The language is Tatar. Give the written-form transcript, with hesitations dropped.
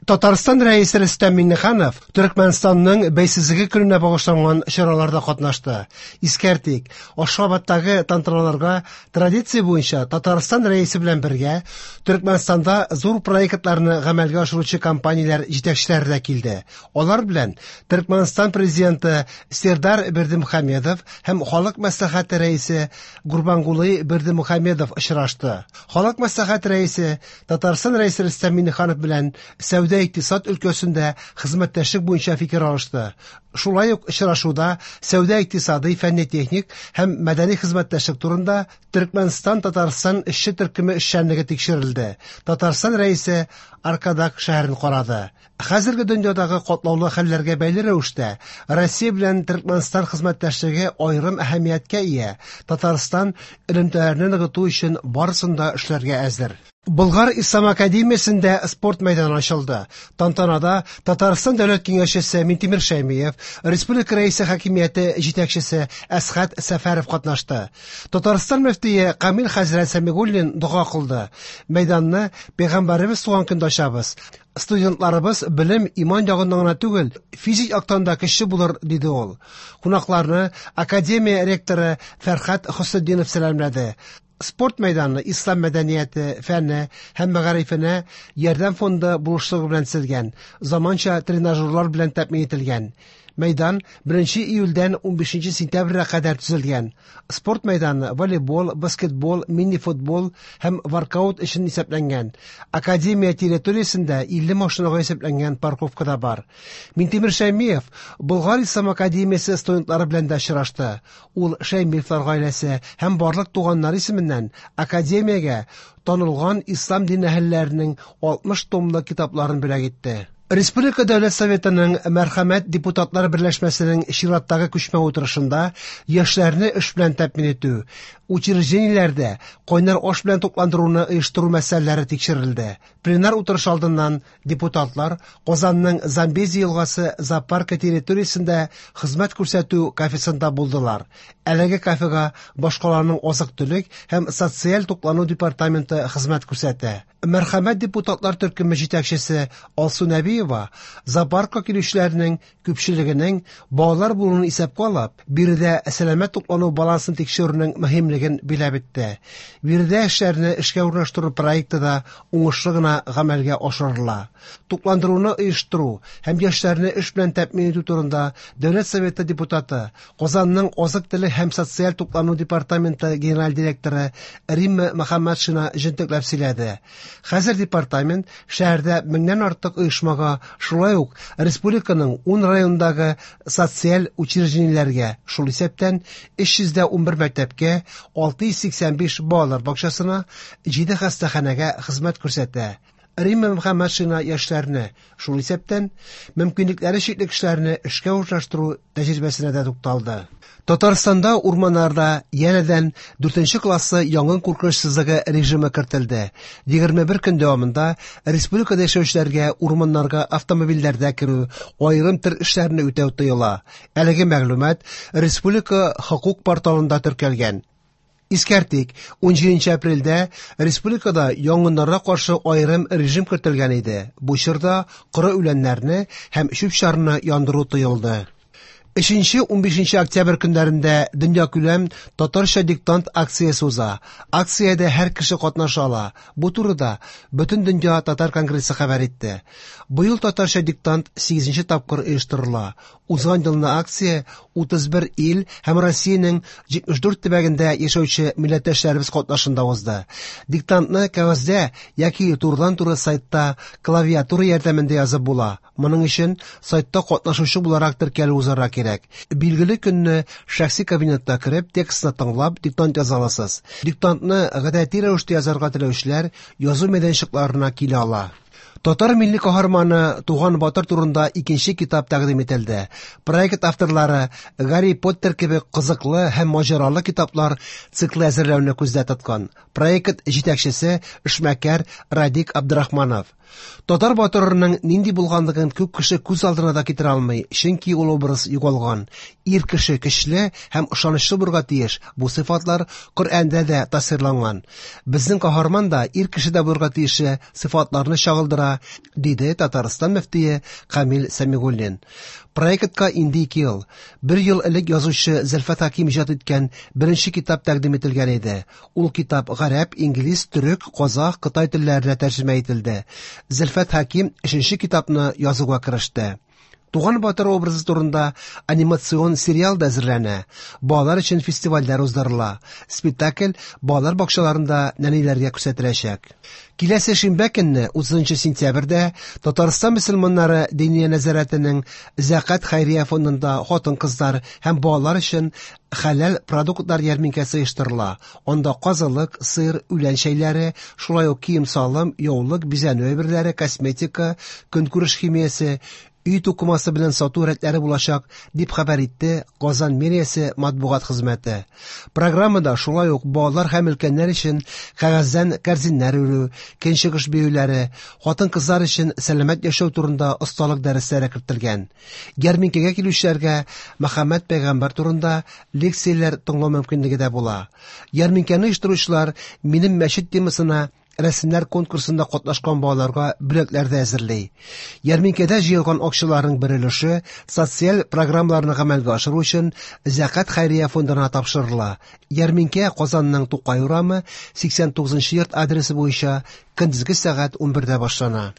Татарстан Рәисе Рөстәм Миңнеханов Төрекмәнстанның бәйсезлеге көненә багышланган чараларда катнашты. Искәртик, Ашхабадтагы тантаналарга традиция буенча Татарстан Рәисе белән бергә Төрекмәнстанда зур проектларны гамәлгә ашыручы компанияләр җитәкчеләре дә килде. Алар белән Төрекмәнстан президенты Сердар Бердымухамедов һәм Халык мәслихәте рәисе Гурбангулы Бердымухамедов очрашты. Халык мәслихәте рәисе Татарстан Рәисе Рөстәм Миңнеханов белән сәүдә-икътисад өлкәсендә хезмәттәшлек буенча фикер алышты. Шулай ук очрашуда сәүдә-икътисадый, фәнни-техник һәм мәдәни хезмәттәшлек турында Төркмәнстан-Татарстан эшче төркеме эшчәнлеге тикшерелде. Татарстан Рәисе Аркадаг шәһәрен карады. Хәзерге дөньядагы катлаулы хәлләргә бәйле рәвештә, Россия белән Төркмәнстан хезмәттәшлеге аерым әһәмияткә ия. Татарстан элемтәләрне ныгыту өчен барысын да эшләргә әзер. Болгар Ислам академиясендә спорт мәйданы ачылды. Тантанада Татарстан Дәүләт Киңәшчесе Минтимер Шәймиев, Республика Рәисе хакимияте җитәкчесе Әсхәт Сәфәров катнашты. Татарстан мөфтие Камил хәзрәт Сәмигуллин дога кылды. Мәйданны Пәйгамбәребез туган көндә ачабыз. Студентларыбыз белем, иман ягыннан гына түгел, физик яктан да көчле булыр, диде ул. Кунакларны академия ректоры Фәрхәт Хөснетдинов сәламләде. Спорт мәйданы ислам мәдәнияте, фәне һәм мәгарифенә ярдәм фонды булышлыгы белән төзелгән, заманча тренажерлар белән тәэмин ителгән. Мәйдан 1 июльдән 15 сентябрьгә кадәр төзелгән. Спорт мәйданы волейбол, баскетбол, мини-футбол һәм воркаут өчен исәпләнгән. Академия территориясендә 50 машинага исәпләнгән парковка да бар. Минтимер Шәймиев Болгар ислам академиясе студентлары белән дә очрашты. Ул Шәймиевлар гаиләсе һәм барлык туганнар исеменнән академиягә танылган ислам дин әһелләренең 60 томлы китапларын бүләк итте. Республика Дәүләт Советының Мәрхәмәт депутатлар берләшмәсенең чираттагы күчмә утырышында яшьләрне эш белән тәэмин итү, учреждениеләрдә кайнар аш белән тукландыруны оештыру мәсьәләләре тикшерелде. Пленар утырыш алдыннан депутатлар Казанның Замбези елгасы зоопаркы территориясендә хезмәт күрсәтү кафесында булдылар. Әлеге кафега башкаланың азык-төлек һәм социаль туклану департаменты хезмәт күрсәтә. Мәрхәмәт депутатлар төркеме җитәкчесе Алсу Нәбиева зоопаркка килүчеләрнең күпчелегенең балалар булуын исәпкә алып, биредә сәламәт туклану балансын тикшерүнең мөһимлеген биләп үтте. Биредә эшләрне эшкә урнаштыру проекты да уңышлы гына гамәлгә ашырыла. Тукландыруны оештыру һәм яшьләрне эш белән тәэмин итү турында Дәүләт Советы депутаты, Казанның азык-төлек һәм социаль туклану департаменты генераль директоры Римма Мөхәммәтшина җентекләп сөйләде. Хәзер департамент шәһәрдә меңнән артык оешмага, шулай ук республиканың 10 районындагы социаль учреждениеләргә, шул исәптән 311 мәктәпкә, 685 балалар бакчасына, 7 хастаханәгә хезмәт күрсәтә. Римма Мөхәммәтшина яшьләрне, шул исәптән, мөмкинлекләре чикле кешеләрне эшкә урнаштыру тәҗрибәсенә дә тукталды. Татарстанда урманнарда янәдән 4 классы янгын куркынычсызлыгы режимы кертелде. 21 көн дәвамында республикада яшәүчеләргә урманнарга автомобильләрдә керү, аерым төр эшләрне үтәү тыела. Әлеге мәгълүмат республика хокук порталында теркәлгән. Искәртик, 17 апрельдә республикада янгыннарга каршы аерым режим кертелгән иде. Бу чорда коры үләннәрне һәм чүп-чарны яндыру тыелды. 3-15 октябрь көннәрендә дөньякүләм татарча диктант акциясе уза. Акциядә һәр кеше катнаша ала. Бу турыда Бөтендөнья татар конгрессы хәбәр итте. Быел татарча диктант 8 тапкыр оештырыла. Узган елны акция 31 ил һәм Россиянең 74 төбәгендә яшәүче милләттәшләребез катнашында узды. Диктантны кәгазьдә яки турыдан-туры сайтта клавиатура ярдәмендә язып була. Моның өчен сайтта катнашучы буларак теркәлү узарга кирәк. Билгеле көнне шәхси кабинетта кереп, текстны тыңлап, диктант яза аласыз. Диктантны гадәти рәвештә язарга теләүчеләр язу мәйданчыкларына килә ала. Татар милли каһарманы Туган Батыр турында икенче китап тәкъдим ителде. Проект авторлары Гарри Поттер кебек кызыклы һәм маҗаралы китаплар циклы әзерләүне күздә тоткан. Проект җитәкчесе эшмәкәр Радик Абдрахманов. Татар батырының нинди булганлыгын күп кеше күз алдына да китерә алмый, чөнки ул образ югалган. Ир кеше көчле һәм ышанычлы булырга тиеш. Бу сыйфатлар Коръәндә дә тасвирланган. Безнең каһарман да ир кеше дә булырга тиешле сыйфатларны чагылдыра. була, диде Татарстан мөфтие Камил Сәмигуллин. Проектка инде 2 ел. Бер ел элек язучы Зөлфәт Хәким иҗат иткән беренче китап тәкъдим ителгән иде. Ул китап гарәп, инглиз, төрек, казах, кытай телләренә тәрҗемә ителде. Зөлфәт Хәким өченче китапны язуга кереште. Туган батыр образы турында анимацион сериал да әзерләнә. Балалар өчен фестивальләр уздырыла. Спектакль балалар бакчаларында нәниләргә күрсәтеләчәк. Киләсе шимбә көнне, 30 сентябрьдә, Татарстан мөселманнары Диния нәзарәтенең Зәкат хәйрия фондында хатын-кызлар һәм балалар өчен хәләл продуктлар ярминкәсе оештырыла. Анда казылык, сыр, үлән чәйләре, шулай ук кием-салым, яулык, бизәнү әйберләре, косметика, көнкүреш химиясе, өй тукымасы белән сату рәтләре булачак, дип хәбәр итте Казан мэриясе матбугат хезмәте. Программада шулай ук балалар һәм өлкәннәр өчен кәгазьдән кәрзиннәр үрү, көнчыгыш биюләре, хатын-кызлар өчен сәламәт яшәү турында осталык дәресләре кертелгән. Ярминкәгә килүчеләргә Мөхәммәд пәйгамбәр турында лекцияләр тыңлау мөмкинлеге дә була. Ярминкәне оештыручылар «Минем мәчет» темасына рәсемнәр конкурсында катнашкан балаларга бүләкләр дә әзерли. Ярминкәдә җыелган акчаларның бер өлеше социаль программаларны гамәлгә ашыру өчен Зәкат хәйрия фондына тапшырыла. Ярминкә Казанның Тукай урамы 89 йорт адресы буенча көндезге сәгать 11-дә башлана.